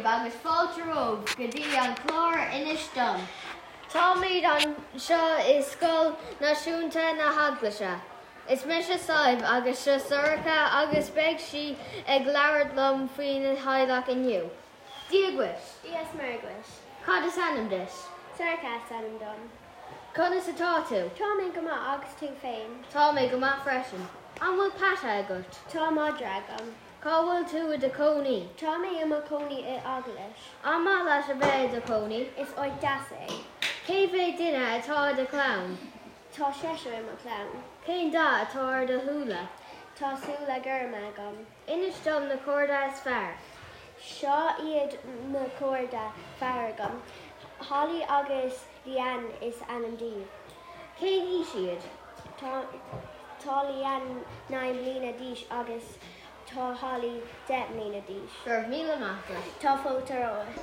daoibh agus fáilte romhaibh go dtí an clár Inis Dom. Táimid anseo i Scoil Náisiúnta na hEaglaise. Is mise Sadhbh agus seo Sorcha agus beidh sí ag labhairt liom faoina theaghlach inniu. Dia dhuit! Dia is Muire dhuit. Cad is ainm duit? Sorcha is ainm dom. Conas atá tú? Tá mé go maith, agus tú féin? Tá mé go maith freisin. An bhfuil peata agat? Tá madra agam. Cá bhfuil tú i do chónaí? Tá mé i mo chónaí i Eaglais. An maith leat a bheith i do chónaí? Is áit deas é. Cé mhéad duine atá i do chlann? Tá seisear i mo chlann. Cén dath atá ar do shúile? Tá súile gorma agam. Inis dom na cairde is fearr. Seo iad na cairde fearr agam. Holly agus Leanne is ainm dóibh. Cén aois iad? Tá Tá Leanne 9 mbliana d'aois agus tá Holly 10 mbliana d'aois. Go raibh míle maith agat. Tá fáilte romhat.